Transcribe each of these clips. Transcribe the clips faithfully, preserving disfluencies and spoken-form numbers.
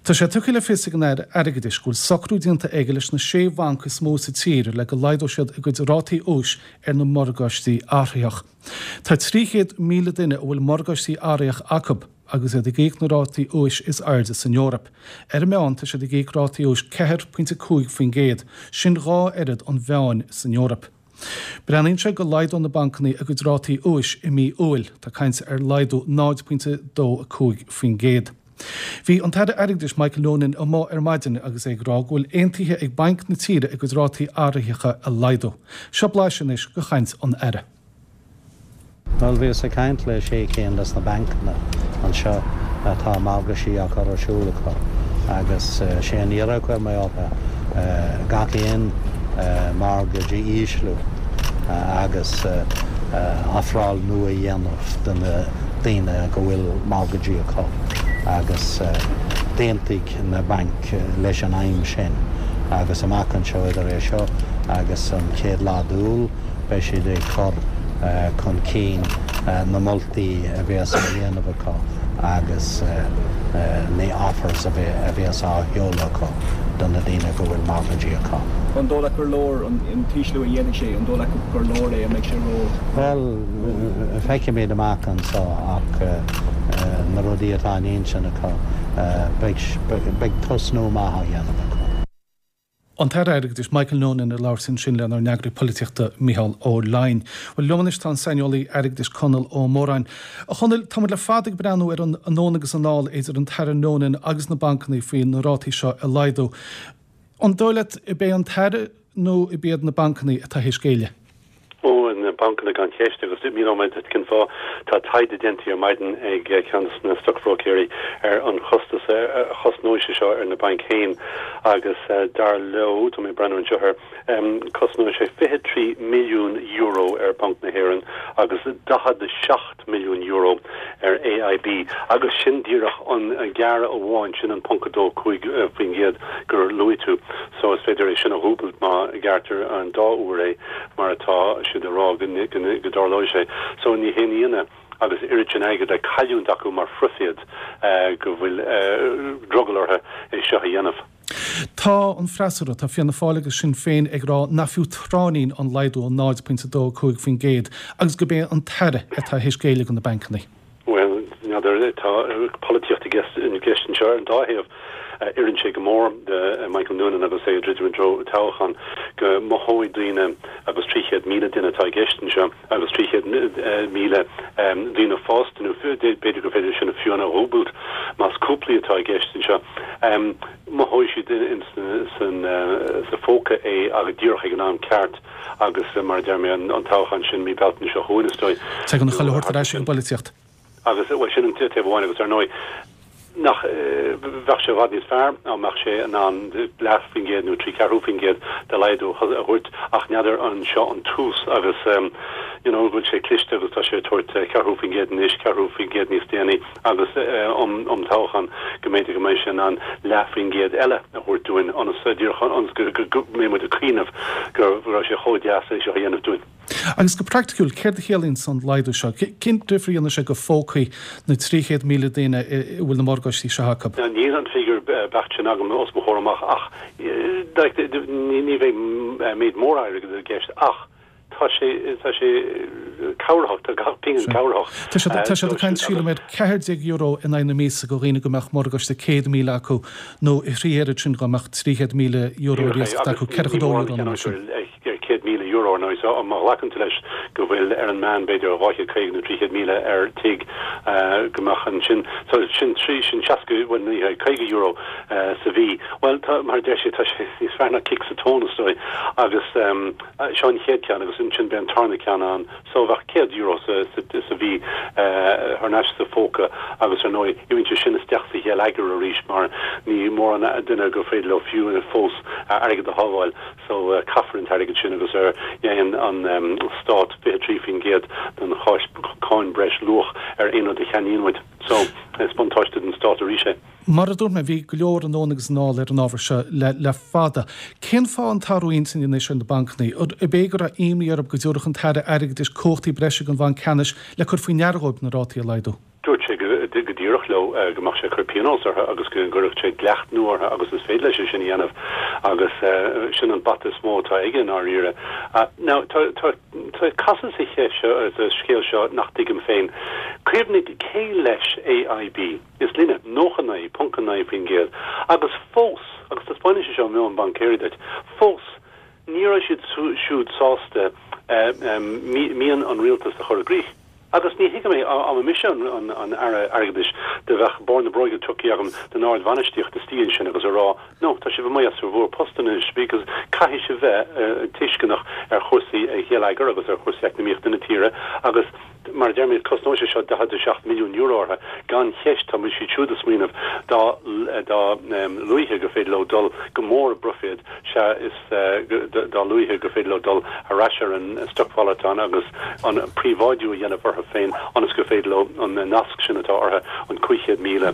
Tá sé tugtha le fios ag an Aire Airgeadais go bhfuil socrú déanta aige leis na sé bhanc is mó sa tír le go laghdóidh siad a gcuid rátaí úis ar na morgáistí athraitheach. Tá trí chéad míle duine a bhfuil morgáistí athraitheach acu agus iad ag íoc na rátaí úis is airde san Eoraip. Ar an meán tá siad ag íoc rátaí úis ceathair pointe cúig faoin gcéad, sin dhá oiread an mheáin san Eoraip. Breathnaíonn sé go laghdóidh na bancanna a gcuid rátaí úis i mí Iúil, tá caint ar laghdú náid pointe dó a cúig faoin gcéad. Bhí an tAire Airgeadais Michael Noonan amuigh ar maidin agus é ag rá go bhfuil aontaithe ag bainc na tíre a gcuid rátaí athraitheacha a laghdú. Seo blaiseadh anois de chaint an Aire. Bhuel, bhíos ag caint le sé cinn des na bancanna anseo atá morgáistí á cur ar siúl acu agus sé an iarraidh a chuir mé orthu gach aon mortgage a ísliú agus ofráil nua a dhéanamh do na daoine go bhfuil mortgageí acu agus d'aontaigh na bainc leis an aidhm sin agus amach anseo idir é seo agus an chéad lá d'Iúil beidh siad ag cur chun cinn na moltaí a bheas á dhéanamh acu agus na offers a bheas á sheoladh acu do na daoine go bhfuil mortgageí acu. An dóigh leat gur leor an t-ísliú a dhéanfaidh sé, an dóigh leat gur leor é, an mbeidh sé ró? Bhuel, feicfimid amach anseo ach na rudaí atá in intinn acu, beidh tosnú maith á dhéanamh acu. An tAire Airgeadais Michael Noonan ag labhairt ansin lenár n-eagraí polaitíochta Micheál Ó Leidhin. Bhuel, liom anois tá an saineolaí airgeadais Conall Ó Móráin. A Chonaill, tá muid le fada ag breathnú ar an anonn agus anall idir an tAire Noonan agus na bancanna faoi na rátaí seo a laghdú. An dóigh leat ab é an tAire nó ab iad na bancanna atá théis géilleadh? Ó, na bancanna gan cheist, agus míneoidh mé duit cén fáth. Tá taighde déanta ar maidin ag ceann de na stocbhróicéirí ar an chostas a chosnóidh sé seo ar na bainc féin agus dar leo, tá mé ag breathnú anseo air, cosnóidh sé fiche trí milliún euro ar Bhanc na hÉireann agus daichead a seacht milliún euro ar A I B, agus sin díreach an gearradh amháin, sin an ponc a dó cúig faoin gcéad gur luaigh tú. So is féidir é sin a dhúbailt má ghearrtar an dá uair é mar atá siad a rá go go dtarlóidh sé. So ní haon ionadh agus oiread sin airgid le cailliúint acu mar phroifid go bhfuil drogall orthu é seo a dhéanamh. Tá an freasúra, tá Fianna Fáil agus Sinn Féin ag rá nach fiú tráithnín an laghdú an náid pointe dó cúig faoin gcéad agus gurb é an tAire atá théis géilleadh do na bancanna. Well, n'fheadar, tá polaitíocht i gceist anseo ar an dá thaobh. Oireann sé go mór do Michael Noonan agus é ag druidim i dtreo toghchán go mothóidh daoine, agus trí chéad míle duine atá i gceist anseo agus trí chéad míle daoine fásta, nó b'fhéidir gur féidir sin fiú a dhúbailt más cúplaí atá i gceist anseo, mothóidh siad sa phóca é agus díreach ag an am ceart agus, mar a deir mé, an toghchán sin mí Bealtaine seo chugainn, is dóigh. Tagann chuile shórt ar ais ag an bpolaitíocht. Agus, bhuel, sin an taobh amháin agus ar ndóigh nach bheadh sé i bhfad níos fearr dá mbeadh sé in ann leath faoin gcéad nó trí ceathrú faoin gcéad de laghdú a thabhairt, ach n'fheadar an seo an tús agus you know go bhfuil sé cliste agus tá sé ag tabhairt ceathrú faoin gcéad anois, ceathrú faoin gcéad níos déanaí agus um um toghchán go mb'fhéidir go mbeidh sé in ann leath faoin gcéad eile a thabhairt dúinn ionas díreach ionas go mbeidh muid ag cuimhneamh go raibh sé chomh deas é seo a dhéanamh dúinn. Agus go praiticiúil, céard a chiallaíonn an laghdú seo? Cén difear a dhéanfaidh sé go phócaí na trí chéad míle daoine a bhfuil na morgáistí seo acu? Níl an figiúr beacht sin agam os mo chomhair amach ach ní bheidh méid mór airgid i gceist ach tá sé tá sé cabhrach, tá gach pingin cabhrach. Tá siad tá siad ag caint, sílim, ar ceathair déag euro in aghaidh na míosa do dhaoine go mbeadh morgáiste céad míle acu nó a thrí oiread sin dá mbeadh trí chéad míle euro ar iasacht acu, ceathracha dó euro nó mar sin. céad míle euro ar ndóigh, so má ghlacann tú leis go bhfuil ar an meán b'fhéidir dhá chéad caoga nó trí chéad míle ar tigh, go mbeadh ansin, so sin trí, sin seasca, bhuel ní hea, caoga euro sa mhí. Bhuel tá, mar a deir sé, tá sé níos fearr ná cic sa tóin is dóigh agus seo an chéad ceann agus ansin beidh an tarna ceann ann, so bheadh céad euro sa sa mhí thar n-ais sa phóca agus ar ndóigh imíonn sé sin isteach sa gheilleagar arís mar ní mórán duine gur féidir leo fiú fós airgead a shábháil. So caithfear an t-airgead sin agus ar dhéan an stát fiche trí faoin gcéad den cháin breis luach ar aon rud a cheannaíonn muid. So is buntáiste don stát arís é. Mar a dúirt mé, bhí go leor anonn agus anall ar an ábhar seo le le fada. Cén fáth an t-athrú intinne anois ar na bancanna? Ab é go raibh imní orthu go dtabharfadh an tAire Airgeadais cumhachtaí breise don Bhanc Ceannais le cur faoi ndeara dhóibh na rátaí a laghdú? Dúirt sé go díreach. díreach leo go mbeadh sé ag cur pionós orthu agus go gcuirfeadh sé dleacht nua orthu agus is féidir leis é sin a dhéanamh agus sin an bata is mó atá aige i ndáiríre. Now tá tá tá casadh sa cheist seo sa scéal seo nach dtuigim féin. Cuimhnigh cé leis AIB? Is linne nócha naoi ponc naoi faoin gcéad agus fós, agus taispeánann sé seo meon baincéirí duit, fós ní raibh siad siúd sásta mian an rialtais a chur i gcrích. Agus ní thuigim é, dá mba mise an Aire Airgeadais, do bheadh barr na bróige tugtha agam don ardbhainistíocht istigh ansin agus a rá, no, tá sibh amuigh as bhur bpost anois because caithfidh sibh bheith tuisceanach ar chúrsaí geilleagair agus ar chúrsaí eacnamaíochta na tíre agus mar a deirimid cosnóidh sé seo daichead a seacht milliún euro orthu gan cheist, tá siad siúd ag smaoineamh dá dá luaithe gur féidir leo dul go mór i bproifid, sea is dá luaithe gur féidir leo dul ar ais ar an stocmhalartán agus an príobháidiú a dhéanamh orthu féin ionas gur féidir leo an nasc sin atá orthu, an cúig chéad míle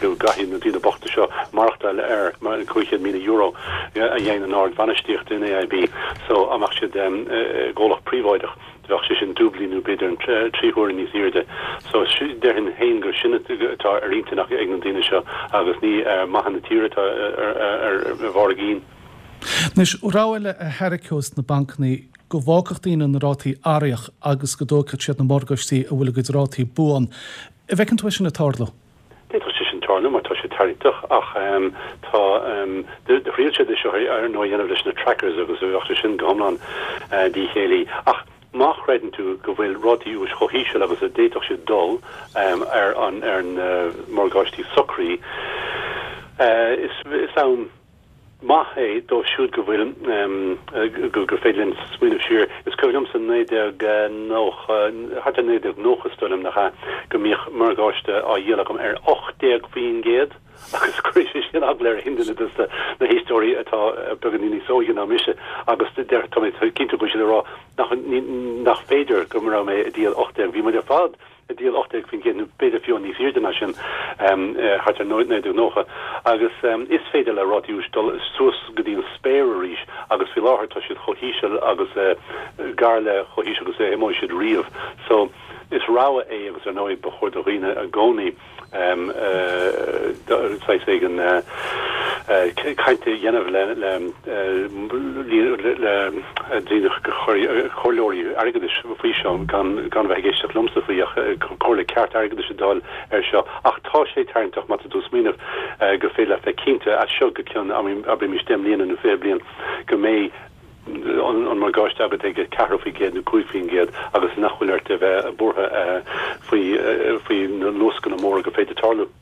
go gcaithfidh na daoine bochta seo maireachtáil ar cúig chéad míle euro a dhéanann an ardbhainistíocht in AIB so dá mbeadh siad i gcomhlacht príobháideach. Bheadh sé sin dúblaí nó b'fhéidir trí huaire níos airde. So déarfainn féin gur sin atá ar intinn ag na daoine seo agus ní maithe na tíre atá ar bharr a gcinn. Anois, rogha eile a thairgeos na bancanna go bhfágfadh daoine na rátaí athraitheach agus go dtógfadh siad na morgáistí a bhfuil a gcuid rátaí buan. An bhfeiceann tú é sin ag tarlú? D'fhéadfadh sé sin tarlú mar tá sé tarraingteach ach tá do thriail siad é seo ar ndóigh a dhéanamh leis na trackers agus bheadh sé sin go hiomlán díchéillí. Ach má chreideann tú go bhfuil rátaí úis chomh híseal agus a d'fhéadfadh siad dul ar an ar na morgáistí socraí, is am maith é dóibh siúd go bhfuil gur féidir linn smaoineamh siar. Is cuimhin liomsa naoi déag nócha, thart ar naoi déag nócha is dóigh liom, nach ea, go mbíodh morgáiste á dhíol agam ar ocht déag faoin gcéad agus cuirfidh sé sin eagla ar aon duine de na héisteoirí atá beagáinín níos óige ná mise agus deir, tá mé cinnte go bhfuil siad ag rá nach, nach féidir go raibh mé ag díol ocht déag, bhí muid ar fad ag díol ocht déag faoin gcéad nó b'fhéidir fiú níos airde ná sin thart ar naoi déag nócha agus is féidir le rátaí úis dul suas go dtí an spéir arís agus faoi láthair tá siad chomh híseal agus gar le chomh híseal agus a imeoidh siad riamh. So is rogha é agus ar ndóigh ba chóir do dhaoine i gcónaí saghas éigin caint a dhéanamh le daoine comhairleoirí airgeadais faoi seo gan gan bheith ag éisteacht liomsa faoi ach comhairle ceart airgeadais a d'fháil ar seo. Ach tá sé tarraingteach má tá tú ag smaoineamh gur féidir leat bheith cinnte as seo go ceann abraimis deich mbliana nó fiche bliain go mbeidh an morgáiste agat ag ceathair faoin gcéad nó cúig faoin gcéad agus nach bhfuil ort a bheith buartha faoi faoi na luascanna móra gur féidir tarlú.